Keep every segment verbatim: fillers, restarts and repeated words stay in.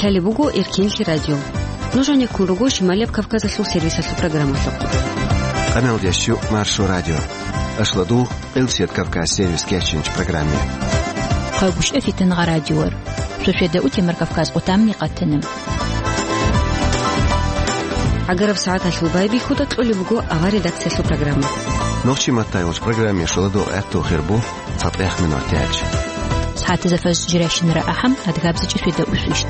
Лъалеб буго Эркенлъи радио. Нуж гьанеккун руго Шималияб Кавказалъул сервисалъул программалъухъ. Къаналдящу Маршо радио. Ашладул Къилсият Кавказ сервис кечинч программе. Хъагушев Фитангъа радиор. Шошеда утемар Кавказ отамни къатана. Агараб сагӀаталъул байбихьуда кьолеб буго ава редакциялъул программа. Нохчи маттайулч программе шоладул гӀатту хирбу. ЦатӀехъ минут тяч. СагӀатазда фаз жирайщинара ахӀам, адгабзичӀи феда усвищт.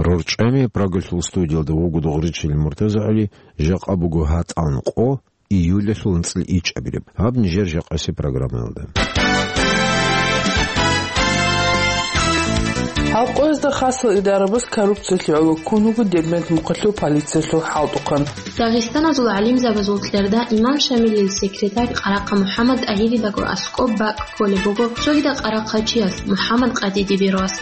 РорчӀами Прагалъул студиялда вуго Дугъричил МуртазагӀали, жакъа буго гьатӀан къо, июлалъул анцӀил ичӀабилеб. Гьаб нижер жакъаси программаялда. Гьалкъоязда хасал идарабаз коррупциялъе гӀоло ккун вуго Дербент мухъалъул полициялъул хӀалтӀухъан. Дагъистаназул гӀалимзабазул тӀерда имам Шамилил секретарь Къарахъа МухӀаммад ТӀагьиридаго аскӀоб бакӀ кколеб буго цогидал къарахъачияс МухӀаммад Къадиди Бервас.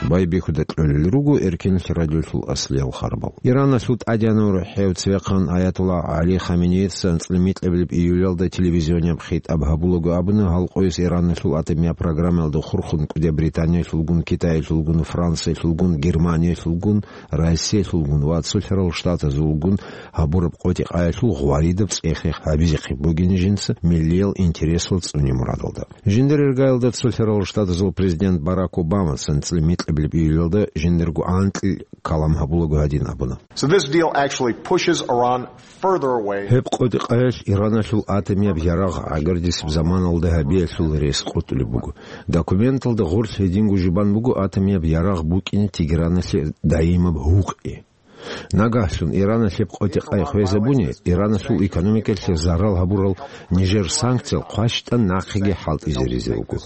Байбихьуда кьолел руго Эркенлъи радиолъул аслиял харбал. Иранасул тӀадегӀанав рухӀев цевехъан Аятулла ГӀали Хаменеица анцӀила микьабилеб июлалда телевизионияб хитӀаб гьабулаго абуна, гьалкъойс Иранасул атомияб программаялда хурхун кӀудияб Британиялъулгун, Китаялъулгун, Франциялъулгун, Германиялъулгун, Россиялъулгун ва Цолъарал Штатазулгун гьабураб къотӀи-къаялъул гъваридаб цӀех-рех гьабизехъин бугин жинца миллиял интересал цӀуне мурадалда. Жиндир иргаялда Цолъарал Штатазул президент Барак Обамаца анцӀила микьабилеб июлалда жиндирго анкьил калам гьабулаго гьадин абуна. So this deal actually pushes Iran further away. Гьеб къотӀи-къаялъ Ираналъул атомияб ярагъ гӀагардисеб заманалда гьабиялъул рес къотӀулеб буго. Документалда гъорлъ гьединго жубан буго атомияб ярагъ букӀине Тегераналъе даимаб гьукъи. Нагагьлъун Иранас гьеб къотӀи-къай хвезабуни, Иранасул экономикалъе зарал гьабурал нижер санкциял хъващтӀан нахъеги хӀалтӀизаризе руго.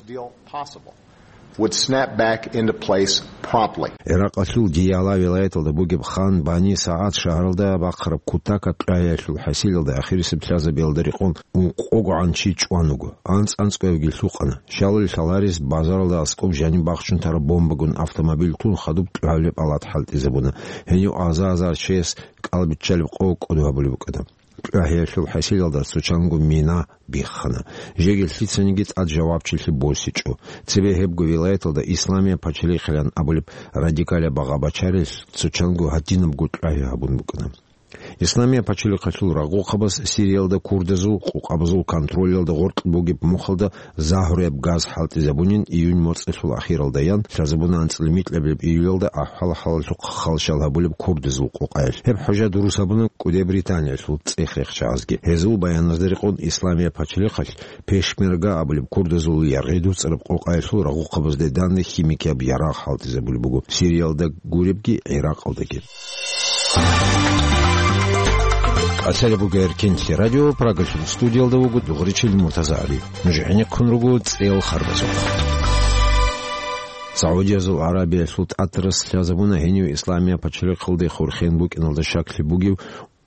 Would snap back into place promptly. Иракъалъул Дияла вилаяталда бугеб Хан Бани СагӀад шагьаралда бахъараб кутакаб кьвагьиялъул хӀасилалда ахирисеб лъазабиялда рекъон ункъогогӀан чи чӀван вуго. АнцӀ-анцӀгоябги лъукъана. Щалалил лъаларес базаралда аскӀоб жаниб бахчун тараб бомбагун автомобиль тун хадуб кьвагьабилеб палат хӀалтӀизабуна. Гьенив аза-азар чияс кӀалбиччалеб къо кӀодо гьабулеб букӀана. Кьвагьиялъул хӀасилалда цо чанго мина биххана. Жеги лъицаниги тӀад жавабчилъи босичӀо. Цебе гьебго вилаяталда Исламия пачалихъилан абулеб радикалаб багъа бачарилъ цо чанго гьадинабго кьвагьи гьабун букӀана. Исламия пачалихъалъул рагъухъабаз Сириялда курдазул къукъабазул контролялда гъоркь бугеб мухъалда загьруяб газ хӀалтӀизабунин июнь моцӀалъул ахиралда ян, лъазабуна анцӀила микьабилеб июлалда ахӀвал-хӀалалъухъ халщал гьабулеб курдазул къукъаялъ. Гьеб хӀужа дурус гьабуна кӀудияб Британиялъул цӀех-рехчагӀазги. Гьезул баяназда рекъон Исламия пачалихъалъ Пешмерга абулеб курдазул яргъи дуцӀараб къукъаялъул рагъухъабазде данде химикияб ярагъ хӀалтӀизабулеб буго Сириялда гуребги, ГӀиракъалдаги. Къасалеб буго Эркенлъи радио, Прагалъул студиялда вуго Дугъричил МуртазагӀали. Нуж гӀенеккун руго цӀел харбазухъ. Саудиязул ГӀарабиялъул тӀатарас лъазабуна гьенив Исламия пачалихъалде хурхен букӀиналда щаклъи бугев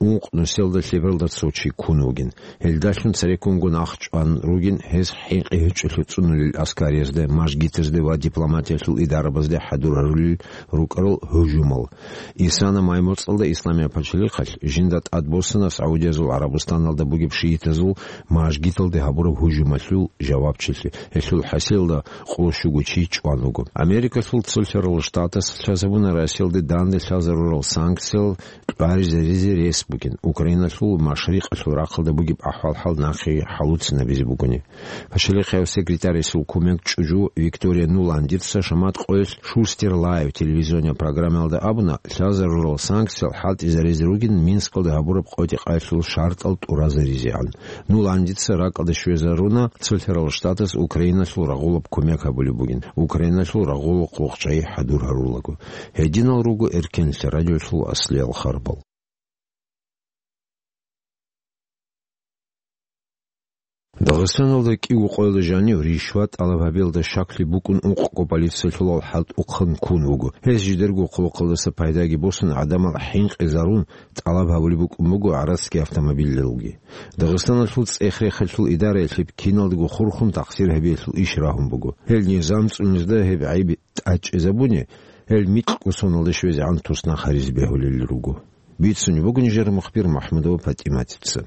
ункъ нусиялда лъебералда цо чи ккун вугин. Гьелдалъун цереккунго нах чӀван ругин, гьез хӀинкъи гьечӀолъи цӀунулел аскариязде, мажгитазде ва дипломатиялъул идарабазде хӀадур гьарулел рукӀарал гьужумал. Исана май моцӀалда Исламия пачалихъалъ жинда тӀадбоссана Саудиязул ГӀарабустаналда бугеб шиитазул мажгиталде гьабураб гьужумалъул жавабчилъи. Гьелъул хӀасилалда къоло щуго чи чӀван вуго. Америкалъул Цолъарал Штатас лъазабуна Россиялде данде лъазарурал санкциял кьваризаризе рес бугин, Украиналъул машрикъалъул рахъалда бугеб ахӀвал-хӀал нахъе хӀалуцинабизе бугони. Пачалихъав секретаресул кумек чӀужу Виктория Нуландица Шамат къоялъ Шустер Лайв телевизионияб программаялда абуна, лъазарурал санкциял хӀалтӀизаризе ругин Минскалда гьабураб къотӀи-къаялъул шартӀал тӀуразаризегӀан. Нуландица ракӀалде щвезаруна, Цолъарал Штатас Украиналъул рагъулаб кумек гьабулеб бугин, Украиналъул рагъулахъ вахчайи хӀадур гьарулаго. Гьединал руго Эркенлъи радиолъул аслиял харбал. Дагъистаналда кӀиго къоялда жанив ришват тӀалаб гьабиялда щаклъи букӀун ункъго полициялъулал хӀалтӀухъан ккун вуго. Гьез жидерго хъулухъалдаса пайдаги босун, гӀадамал хӀинкъизарун тӀалаб гьабулеб букӀун буго гӀарацги автомобилалги. Дагъистаналъул цӀех-рехалъул идараялъе киналдаго хурхун тахсир гьабиялъул иш рагьун буго. Гьел низам цӀунизда гьеб гӀайиб тӀадчӀезабуни, гьел микьго соналда щвезегӀан туснахъ гьаризе бегьулел руго. Бицунеб буго нижер мухбир МахӀмудова ПатӀиматица.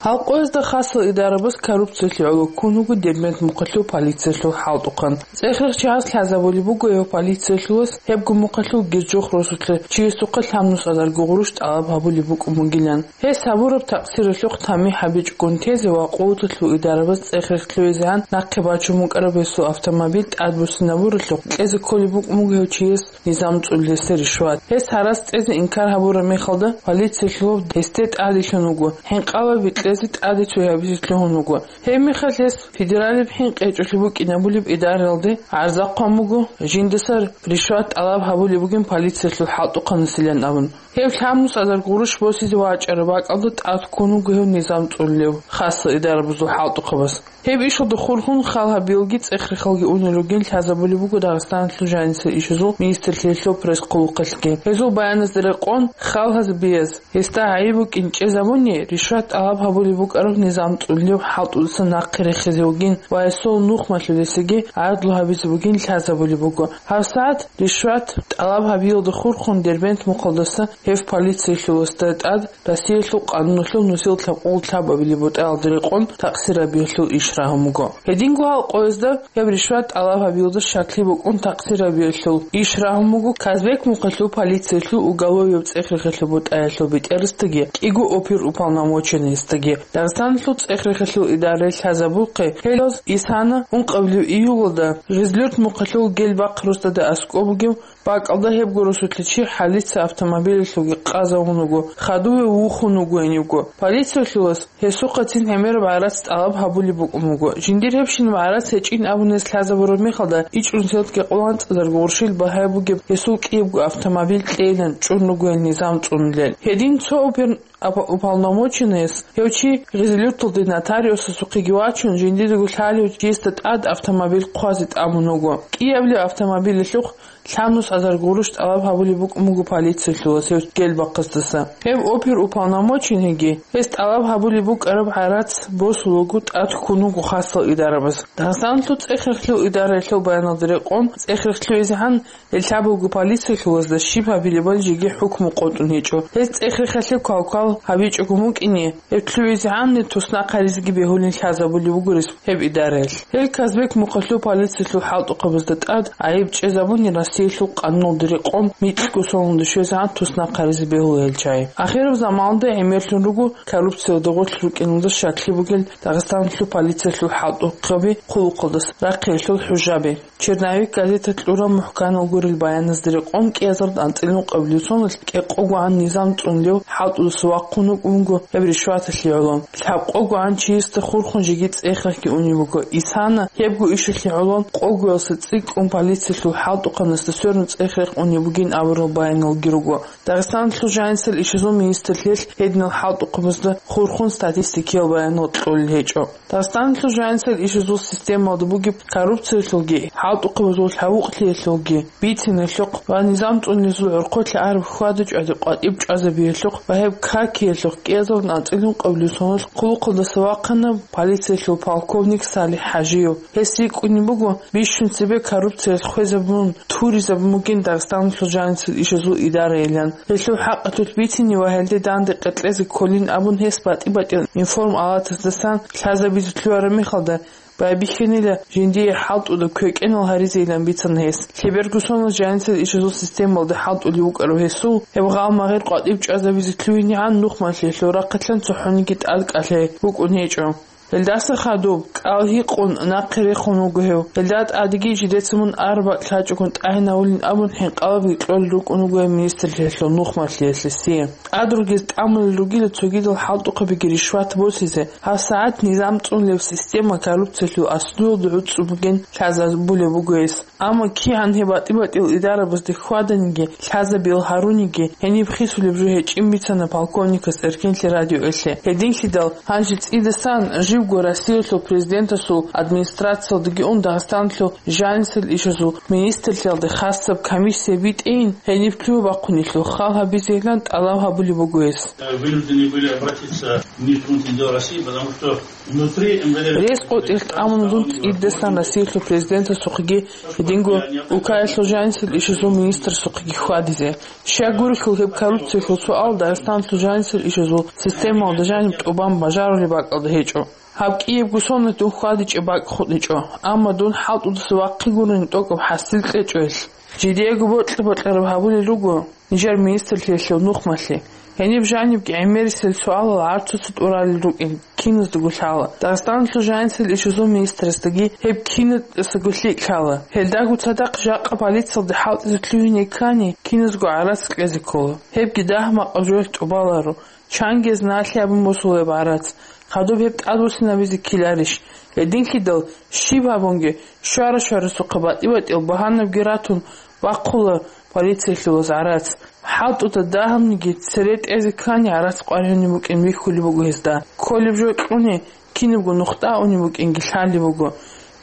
Гьал къоязда хасал идарабаз коррупциялъе гӀоло ккун вуго Дербент мухъалъул полициялъул хӀалтӀухъан. ЦӀехрехчияс лъазабулеб буго гьев полициялъулас гьебго мухъалъул Герчох росулъа чиясухъа лъабнус азарго гъурущ тӀалаб гьабулеб букӀун бугилан. Гьес гьабураб такъсиралъухъ тамихӀ гьабичӀогун тезе ва къуваталъул идарабаз цӀехрехлъугьизегӀан нахъе бачун букӀараб гьесул автомобиль тӀадбуссинабуралъухъ кьезе кколеб букӀун буго гьев чияс низам цӀулесда ришват. Гьес гьарац кьезе инкар гьабураб мехалда, полициялъулав гьесде тӀаделъун вуго, хӀинкъалаби кьезе тӀаде цоябизе лъугьун вуго. Гьеб мехалъ гьес федералияб хӀинкъи гьечӀолъи букӀинабулеб идаралде гӀарза хъван буго, жиндаса ришват тӀалаб гьабулеб бугин полициялъул хӀалтӀухъанасилан абун. Гьев лъабнус азар гъурущ босизе вачӀараб бакӀалда тӀад ккун вуго гьев низам цӀулев хасал идарабазул хӀалтӀухъабаз. Гьеб ишалда хурхун хал гьабиялги цӀехрехалги унел ругин лъазабулеб буго Дагъистаналъул жанисел ишазул министрлъиялъул пресс-хъулухъалъги. Гьезул баяназда рекъон, хал гьабияз гьесда гӀайиб букӀин чӀезабуни, ришват тӀалаб гьабулеб букӀараб низам цӀулев хӀалтӀудаса нахъе рехизе вугин ва гьесул нухмалъулесеги гӀадлу гьабизе бугин лъазабулеб буго. ГьабсагӀат ришват тӀалаб гьабиялда хурхун Дербент мухъалдаса гьев полициялъуласда тӀад Россиялъул къануналъул нусил лъабкъоялда лъабабилеб бутӀаялда рекъон такъсирабиялъул иш рагьун буго. Гьединго гьал къоязда гьеб ришват тӀалаб гьабиялда щаклъи букӀун такъсирабиялъул иш рагьун буго Казбек мухъалъул полициялъул уголовияб цӀехрехалъул бутӀаялъул бетӀерасдаги кӀиго оперуполномоченныйасдаги. Дагъистаналъул цӀехрехалъул идарае лъазабулхъе, гьелаз исана ункъабилеб июлалда Гъизлюрт мухъалъул Гелбахъ росдада аскӀоб бугев бакӀалда гьебго росулъа чи хӀалица автомобилалъулги къазавун вуго, хадуве вухун вуго гьенивго. Полициялъулас гьесухъацин гӀемераб гӀарац тӀалаб гьабулеб букӀун буго. Жиндир гьебщинаб гӀарац гьечӀин абун гьес лъазабураб мехалда, ичӀнусиялдги къоло анцӀазарго гъурщил багьа бугеб гьесул кӀиябго автомобиль кьейилан чӀун руго гьел низам цӀунулел. Гьедин цо опер-, апа-, уполномоченныяс гьев чи Гъизлюрталде нотариусасухъеги вачун, жиндирго лъалев чиясда тӀад автомобиль хъвазе тӀамун вуго. КӀиабилеб автомобилалъухъ лъабнус азар гъурущ тӀалаб гьабулеб букӀун буго полициялъулас гьев Гелбахъасдаса. Гьев оперуполномоченныйги гьес тӀалаб гьабулеб букӀараб гӀарац босулелго тӀад ккун вуго хасал идарабаз. Дагъистаналъул цӀехрехлъул идараялъул баяналда рекъон, цӀехрехлъугӀизегӀан гьел лъабабго полициялъулазда щиб гьабилебали жеги хӀукму къотӀун гьечӀо. Гьез цӀехрехалъе квалквал гьабичӀого мукӀине, гьеб лъугӀизегӀанни туснахъ гьаризеги бегьулин лъазабулеб буго рес-, гьеб идараялъ. Гьел Казбек мухъалъул полициялъул хӀалтӀухъабазда тӀад гӀайиб чӀезабуни Россиялъул къануналда рекъон микьго соналда щвезегӀан туснахъ гьаризе бегьула гьел чагӀи. Ахираб заманалда гӀемерлъун руго коррупциялда гъорлъ рукӀиналда щаклъи бугел Дагъистаналъул полициялъул хӀалтӀухъаби хъулухъалдаса рахъиялъул хӀужаби. Черновик газета кьураб мухӀканал гурел баяназда рекъон кӀиазарда анцӀила ункъабилеб соналъ кӀикъогогӀан низам цӀунулев хӀалтӀудаса вахъун вукӀун вуго гьеб ришваталъе гӀоло. ЛъабкъогогӀан чиясда хурхун жеги цӀехрехги унеб буго. Исана гьебго ишалъе гӀоло къогоялъа цӀикӀкӀун полициялъул хӀалтӀухъанасда сверун цӀехрех унеб бугин абурал баяналги руго. Дагъистаналъул жанисел ишазул министрлъиялъ гьединал хӀалтӀухъабазда хурхун статистикиял баянал кьолел гьечӀо. Дагъистаналъул жанисел ишазул системалда бугеб коррупциялъулги, хӀалтӀухъабазул лъавукълъиялъулги, бициналъухъ ва низам цӀунулезул гӀорхъолъа араб хьвада-чӀвади къватӀиб чӀвазабиялъухъ ва гьеб какиялъухъ кӀиазарун анцӀила ункъабилеб соналъ хъулухъалдаса вахъана полициялъул полковник СалихӀ ХӀажиев. Гьес рикӀкӀунеб буго бищун цебе коррупциялъ хвезабун, туризабун бугин Дагъистаналъул жанисел ишазул идараялъан. Гьелъул хӀакъалъулъ бицине ва гьелде данде къеркьезе кколин абун гьес батӀи-батӀиял информалатаздасан лъазабизе лъугьараб мехалда, байбихьанила жиндие хӀалтӀуда квекӀенал гьаризейилан бицана гьес. Лъеберго соналъ жанисел ишазул системалда хӀалтӀулев вукӀарав гьесул гьеб гъал-магъир къватӀиб чӀвазабизе лъугьинегӀан нухмалъиялъул рахъалъан цохӀониги тӀад кӀалъай букӀун гьечӀо. Гьелдаса хадуб, кӀал гьикъун, нахъе рехун вуго гьев. Гьелда тӀадеги жидеца мун араб бакӀ лъачӀого тӀагӀинавулин абун хӀинкъалабги кьолел рукӀун вуго гьев министрлъиялъул нухмалъиялъе. ТӀад ругез тӀамулел ругила цогидал хӀалтӀухъабиги ришват босизе, гьабсагӀат низам цӀунулеб система коррупциялъул аслуялда гӀуцӀцӀу бугин лъазабулеб буго гьес. Амма кигӀан гьеб батӀи-батӀиял идарабазде хьваданиги, лъазабиял гьаруниги, гьениб хисулеб жо гьечӀин бицана полковникас Эркенлъи радиоялъе. Гьединлъидал гьанже цӀидасан жив Россиялъул президентасул администрациялдеги ун Дагъистаналъул жанисел ишазул министрлъиялде хасаб комиссия битӀейин, гьениб лъугьа-бахъунелъул хал гьабизейилан тӀалаб гьабулеб буго гьес. Вынуждены были обратиться в Министерство внутренних дел России, потому что внутри МВД... Рес къотӀилъ тӀамун дун цӀидасан Россиялъул президентасухъеги гьединго Украиналъул жанисел ишазул министрасухъеги хьвадизе. Щай гурелъул, гьеб коррупциялъул суал Дагъистаналъул жанисел ишазул системалда жаниб тӀубан бажарулеб бакӀалда гьечӀо. Гьаб кӀиябго соналъ дун хьвадичӀеб бакӀ хутӀичӀо, амма дун хӀалтӀудаса вахъи гурони тӀокӀаб хӀасил кьечӀо гьелъ. Жидеего бокьа-бокьараб гьабулел руго нижер министрлъиялъул нухмалъе. Гьениб жанибги гӀемерисел суалал гӀарцуца тӀуралел рукӀин киназдаго лъала. Дагъистаналъул жанисел ишазул министрасдаги гьеб киназдаго лъикӀ лъала. Гьелдаго цадахъ жакъа полициялде хӀалтӀизе лъугьине ккани, киназго гӀарац кьезе ккола. Гьебги дагь-макъаб жоялъ тӀубаларо. Чанги гьез налъи абун босулеб гӀарац, хадуб гьеб тӀадвуссинабизе ккеларищ? Гьединлъидал, щиб гьабунги, щвара-щварасухъа батӀи-батӀиял багьанабги ратун, бахъула полициялъулаз гӀарац. ХӀалтӀуда дагьабниги цере тӀезе ккани гӀарац къваригӀунеб букӀин бихьулеб буго гьезда. Кколеб жо кьуни, кинабго нухда унеб букӀинги лъалеб буго.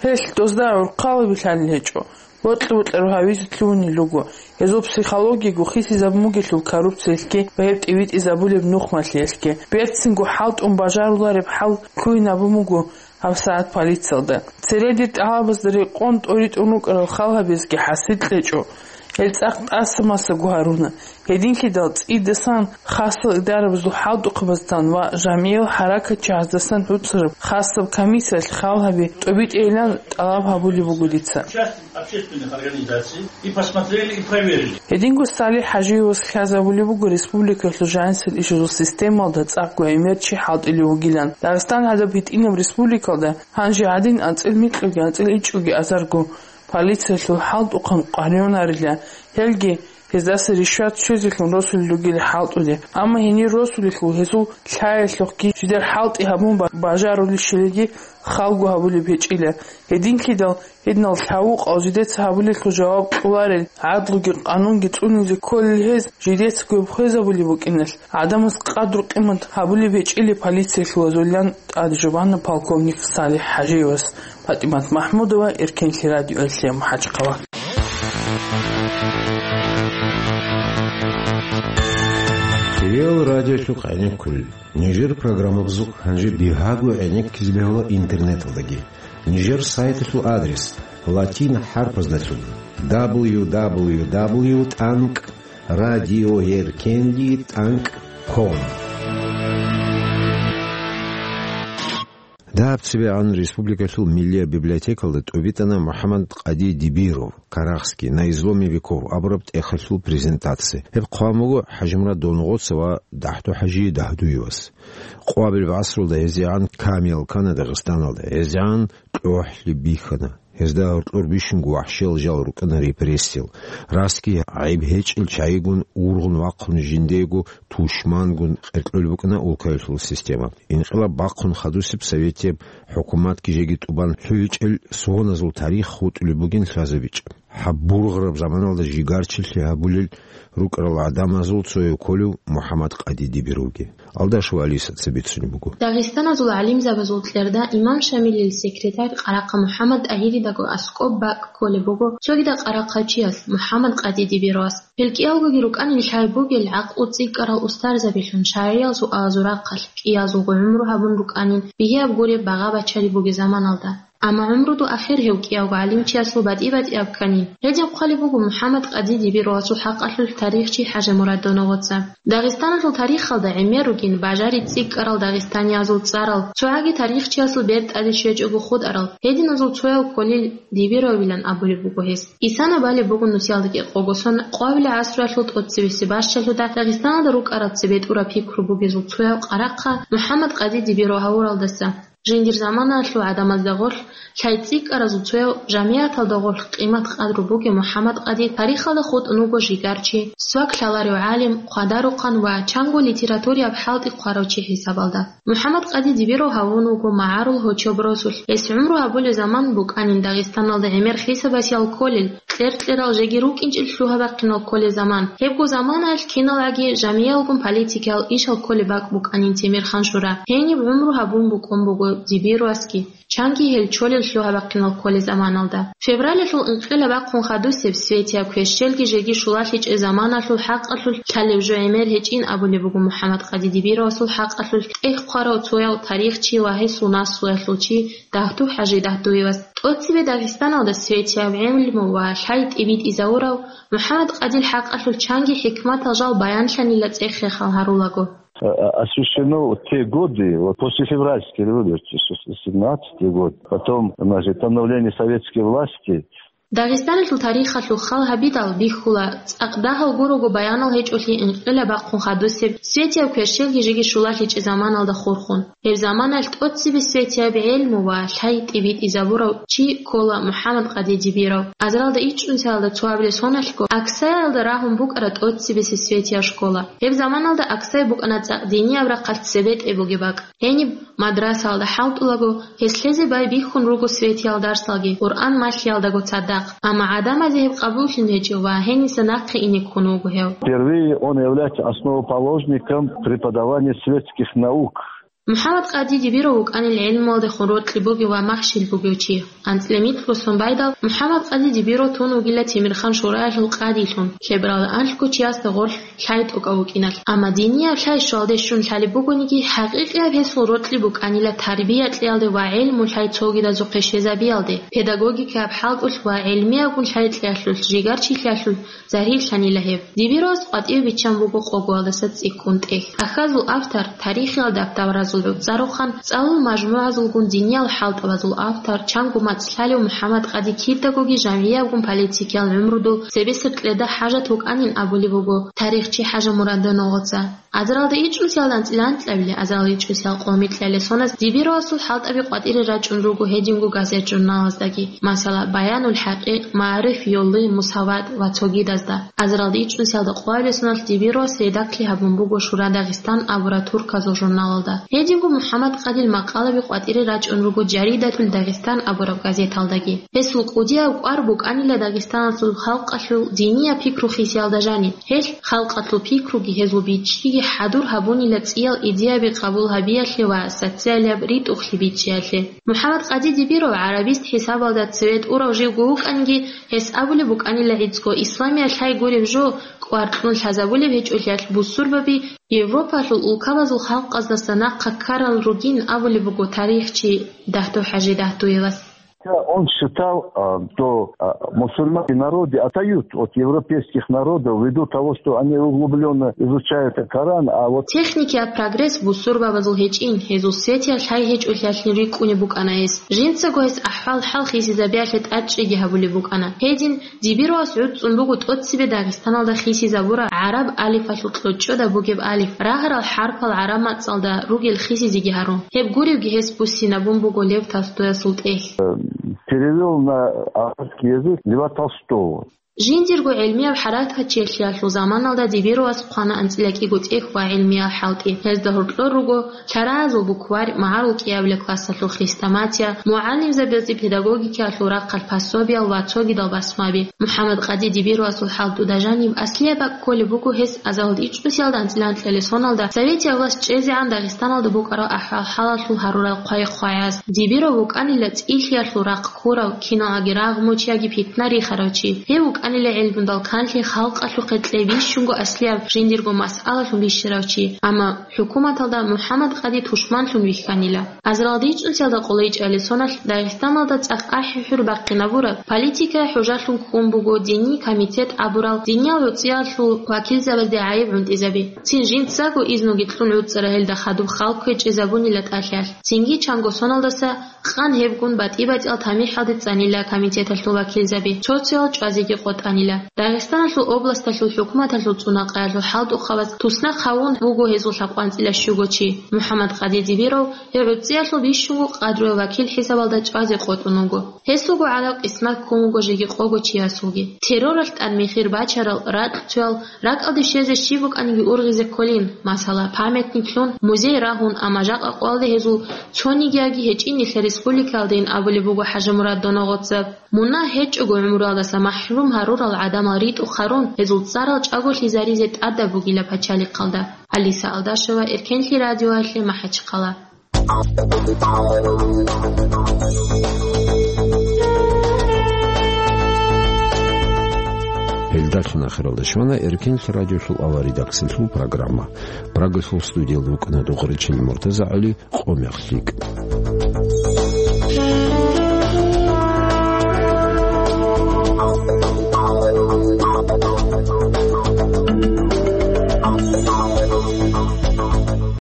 Гьелъ дозда гӀурхъалаби лъалел гьечӀо. Бокьа-бокьараб гьавизе лъугьунел руго. Гьезул психологияго хисизабун бугелъул коррупциялъги ва гьеб тӀибитӀизабулеб нухмалъиялъги. Берцинго хӀалтӀун бажарулареб хӀал лъугьинабун буго гьабсагӀат полициялда. Цере дир тӀалабазда рекъон тӀоритӀун рукӀарал хал гьабизги хӀасил кьечӀо. Гьел цӀакъ тӀаса-масаго гьаруна. Гьединлъидал цӀидасан хасал идарабазул хӀалтӀухъабаздасан ва жамигӀил хӀаракатчагӀаздасан гӀуцӀараб хасаб комиссиялъ хал гьаби тӀобитӀейилан тӀалаб гьабулеб буго дица. Часть общественных организаций и посмотрели, и проверили. Гьединго СалихӀ ХӀажиевас хьвадабулеб буго республикалъул жанисел ишазул системалда цӀакъго гӀемер чи хӀалтӀулев вугилан. Дагъистан гьадаб гьитӀинаб республикалда гьанже гьадин анцӀил микьуги анцӀил ичӀоги азарго полициялъул хӀалтӀухъан къваригӀунарила, гьелги гьездаса ришват щвезелъун росулел ругел хӀалтӀулел. Амма гьенир росулелъул гьезул лъаялъухъги жидер хӀалтӀи гьабун ба-, бажарулищилиги халго гьабулеб гьечӀила. Гьединлъидал гьединал лъавукъал жидеца гьабулелъул жаваб кьоларел, гӀадлуги къанунги цӀунизе кколел гьез жидецаго хвезабулеб букӀиналъ, гӀадамаз къадру-къимат гьабулеб гьечӀила полициялъулазулилан тӀад жубана полковник СалихӀ ХӀажиевас. ПатӀимат МахӀмудова, Эркенлъи радиоялъе, МахӀачхъала. Кирилл радиолъухъ гӀенеккулел. Нижер программабазухъ гьанже бигьаго гӀенеккизе бегьула интернеталдаги. Нижер сайталъул адрес латин хӀарпаздалъун: дабл ю дабл ю дабл ю тӀанкӀ радиоеркенлъи тӀанкӀ ком. Даб цебегӀан республикалъул миллияб библиотекалда тӀубитӀана МухӀаммад Къади Дибиров, «Карахский: на изломе веков» абураб тӀехалъул презентация. Гьеб хъван буго ХӀажимурад Донгоца ва ДахӀдухӀажи Дагьдуевас. Къоабилеб гӀасралда гьезегӀан камиял ккана Дагъистаналда, гьезегӀан кьохӀлъи бихьана. Гьезда гьоркьор бищунго вахӀшиял жал рукӀана репрессиял. Расги гӀайиб гьечӀел чагӀигун ургъун вахъун жиндиего тушмангун къеркьулеб букӀана улкаялъул система. Инкъилаб бахъун хадусеб советияб хӀукуматги жеги тӀубан лъугӀичӀел согъоназул тарих хутӀулеб бугин лъазабичӀеб. Гьаб бургъараб заманалда жигарчилъи гьабулел рукӀарал гӀадамазул цояв кколев МухӀаммад Къади Дибировги. Алдашев Алиса цебе цунеб буго. Дагъистаназул гӀалимзабазул кьерда имам Шамилил секретарь Къарахъа МухӀаммад ТӀагьиридаго аскӀоб бакӀ кколеб буго, цогидаб къарахъачияс, МухӀаммад Къади Дибировас. Гьел кӀиялгоги рукӀанин лъай бугел гӀакълу цӀикӀкӀарал устарзабилъун шаргӀиязул алазул рахъалъ кӀиязулго гӀумру гьабун рукӀанин, бигьияб гуреб багъа-бачари бугеб заманалда. Амма гӀумруду ахир гьев кӀиявго гӀалимчиясул батӀи-батӀияб кканин. Гьедин хъвалеб буго МухӀаммад Къади Дибировасул хӀакъалъулъ тарихчи ХӀажимурад Донгоца. Дагъистаналъул тарихалда гӀемер ругин бажари цӀикӀкӀарал дагъистаниязул цӀарал, цогӀаги тарихчиясул бертӀаде щвечӀого хутӀарал, гьединазул цояв кколел Дибировилан абулеб буго гьес. Исана балеб буго нусиялда кӀикъого сон къоабилеб гӀасруялъул тӀоцебесеб бащалъуда Дагъистаналда рукӀарал цебетӀураб пикру бугезул цояв Къарахъа МухӀаммад Къади Дибиров гьавуралдаса. Жиндир заманаялъул гӀадамазда гъорлъ лъай цӀикӀкӀаразул цояв, жамигӀаталда гъорлъ къимат-къадру бугев МухӀаммад Къади тарихалда хутӀун вуго жигарчи, свак лъаларев гӀалим, хъвадарухъан ва чанго литератураяб хӀалтӀи хъварав чи хӀисабалда. МухӀаммад Къади Дибиров гьавун вуго магӀарул гьочоб росулъ. Гьес гӀумру гьабулеб заман букӀанин Дагъистаналда гӀемер хисабасеял кколел, кьер-кьерал жеги рукӀинчӀел лъугьа-бахъинал кколеб заман. Гьебго заманаялъ киналгӀаги жамигӀалгун политикиял ишал кколеб бакӀ букӀанин Темирхан-Шура. Гьениб гӀумру гьабун букӀун буго Дибировасги, чанги гьел чолел лъугьа-бахъинал кколел заманалда. Февралалъул инкъилаб бахъун хадусеб Светияб кверщелги жеги щулалъичӀеб заманалъул хӀакъалъулъ лъалеб жо гӀемер гьечӀин абулеб буго МухӀаммад-къади Дибировасул хӀакъалъулъ тӀехь хъварав цояв тарихчи ва гьесул наслуялъул чи Дагьдув-хӀажи Дагьдуевас. ТӀоцебе Дагъистаналда Светияб гӀелму ва лъай тӀибитӀизавурав МухӀаммад-къадил хӀакъалъулъ чанги хӀикматал жал баянлъанила цӀех-хехал гьарулаго. Э, э, освещено вот те годы, вот после февральской революции, с-, с-, семнадцатый год, потом, значит, становление советской власти. Дагъистаналъул тарихалъул хал гьабидал бихьула, цӀакъ дагьал гурого баянал гьечӀолъи инкъилаб бахъун хадусеб Светияб кверщелги жеги щулалъичӀеб заманалда хурхун. Гьеб заманалъ тӀоцебе Светияб гӀелму ва лъай тӀибитӀизабурав чи ккола МухӀаммад-къади Дибиров. Азаралда ичӀнусиялда цоабилеб соналъго Аксаялда рагьун букӀана тӀоцебесеб Светияб школа. Гьеб заманалда Аксай букӀана цӀакъ динияб рахъалъ цебетӀе бугеб бакӀ. Гьениб мадрасаялда хӀалтӀулаго, гьес лъезе байбихьун руго Светиял дарсалги, Къуръан малъиялдаго цадахъ. Амма гӀадамазе гьеб къабуллъун гьечӀев ва гьениса нахъе ине ккун вуго гьев. Впервые он является основоположником преподавания светских наук. МухӀаммад-къади Дибиров вукӀанила гӀелмуялдехун рокьи бугев ва махщел бугев чи. АнцӀила микьго сон байдал, МухӀаммад-къади Дибиров тун вугила Темирхан шураялъул къадилъун, лъебаралда анлъго чиясда гъорлъ лъай тӀокӀав вукӀиналъ. Амма динияб лъай щвалде щун лъалеб бугониги, хӀакъикъияб гьесул рокьи букӀанила тарбия кьеялде ва гӀелму-лъай цогидазухъе щвезабиялде, педагогикаяб хӀалтӀулъ ва гӀелмиябгун лъай кьеялъулъ, жигарчилъиялъулъ, Загьирлъанила гьеб. Дибировас къватӀиве биччан буго къогоялдаса цӀикӀкӀун тӀехь. Ахьазул автор, тарихиял дабдабаразул гӀуцӀарухъан, цӀалул мажмугӀазулгун диниял хӀалтӀабазул автор, чанго мацӀ лъалев МухӀаммад-къади кидагоги жамгӀиябгун политикиял гӀумрудул цебесеб кьеда хӀажат вукӀанин абулеб буго тарихчи ХӀажимурад Доногъоца. Азаралда ичӀнусиялда анцӀила анкьабилеб, азаралда ичӀнусиялда къо-, микьабилеб соназ Дибировасул хӀалтӀаби къватӀире рачӀун руго гьединго газет-журналаздаги, масала, Баянул ХӀакъикъ, Маариф, Йолли, Мусават ва цогидазда. Азаралда ичӀнусиялда къоабилеб соналъ Дибировас редакли гьабун буго Шура Дагъистан абураб турказул журналалда. Гьединго МухӀаммад-къадил макъалаби къватӀире рачӀун руго Жаридатул Дагъистан абураб газеталдаги. Гьесул кӀудияб кӀвар букӀанила Дагъистаналъул халкъалъул динияб пикру хисиялда жаниб. Гьелъ халкъалъул пикруги гьезул бичӀчӀиги хӀадур гьабунила цӀиял идеяби къабул гьабиялъе ва социалияб ритӀухълъи бичӀчӀиялъе. МухӀаммад-къади Дибиров гӀарабист хӀисабалда цеве тӀурав живго вукӀанги, гьес абулеб букӀанила гӀицӀго исламияб лъай гуреб жо кӀвар кьун лъазабулеб гьечӀолъиялъ бусурбаби Европалъул улкабазул халкъаздаса нахъа ккарал ругин абулеб буго тарихчи Дагьдув-ХӀажи Дагьдуевас. Он считал, а, что, а, мусульманские народы отстают от европейских народов ввиду того, что они углублённо изучают Коран, а вот Техникияб прогресс бусурбабазул гьечӀин, гьезул светияб лъай гьечӀолъиялъин рикӀкӀунеб букӀана гьес. Жинцаго гьес ахӀвал-хӀал хисизабиялъе тӀадчӀиги гьабулеб букӀана. Гьедин, Дибировас гӀуцӀцӀун буго тӀоцебе Дагъистаналда хисизабураб гӀараб алифалъул кьочӀода бугеб алиф, рагьарал хӀарпал гӀараб мацӀалда ругел хисизеги гьарун. Гьеб гуребги гьес буссинабун буго Лев Толстоясул тӀехь. Перевёл на арабский язык Льва Толстого. Жиндирго гӀелмияб хӀаракатчилъиялъул заманалда Дибировас хъвана анцӀила кӀиго тӀехь ва гӀелмиял хӀалтӀи. Гьезда гьоркьор руго лъаразул букварь, магӀарул кӀиабилеб классалъул хрестоматия, мугӀалимзабазде педагогикаялъул рахъалъ пособиял ва цогидал басмаби. МухӀаммад-къади Дибировасул хӀалтӀуда жаниб аслияб бакӀ кколеб буго гьес азаралда ичӀнусиялда анцӀила анкьабилеб соналда советияб власть чӀезегӀан Дагъистаналда букӀараб ахӀвал-хӀалалъул гьарурал хъвай-хъвагӀаз. Дибиров вукӀанила цӀилъиялъул рахъ ккурав, киналги рагъ мучаяги питна рихарав чи. Гьев вукӀанила гӀелмудал канлъи халкъалъухъе кьей бищунго аслияб жиндирго масъалалъун бищарав чи. Амма ХӀукуматалда МухӀаммад-къади тушманлъун вихьанила. Азаралда ичӀнусиялда къоло ичӀабилеб соналъ Дагъистаналда цӀакъ ахӀи-хӀур бахъинабураб политикая хӀужалъун ккун буго диниял комитет абурал диниял гӀуцӀиялъул вакилзабазде гӀайиб гӀунтӀизаби. Цин жинцаго изнуги кьун гӀуцӀараб гьелда хадуб хал кквечӀезабунила тӀалъалъ. Цинги чанго соналдаса къан гьебгун батӀи-батӀиял тамихӀалде цӀанила комитеталъул вакилзаби, цо-цоял чӀвазеги къотӀанила. Дагъистаналъул областалъул хӀукуматалъул цӀунакъаялъул хӀалтӀухъабаз туснахъ гьавун вуго гьезул лъабкъоялда анцӀила щуго чи. МухӀаммад-къади Дибиров гьев гӀуцӀиялъул бищунго къадру вакил хӀисабалда чӀвазе къотӀун вуго. Гьесулго гӀадаб къисмат ккун вуго жеги къого чиясулги. Терроралъ тӀад мехир бачарал, ракьцоял, ракӀалде щвезе щиб букӀаниги ургъизе кколин, масала, памятниклъун, музей рагьун, амма жакъа къоялде гьезул цонигияги гьечӀин нилъер республикаялдайин абулеб буго ХӀажимурад Доногъоца. Мунагь гьечӀого гӀумруялдаса махӀрум гьарурал гӀадамал ритӀухъ гьарун, гьезул цӀарал чӀаголъизаризе тӀадаб бугила пачалихъалда. Алиса Алдашева, Эркенлъи радиоялъе, МахӀачхъала. Гьелдалъун ахиралда щвана Эркенлъи радиолъул аваридаксалъул программа. Прагалъул студиялда вукӀана Дугъричил Муртаза ГӀали. Къо мех лъикӀ.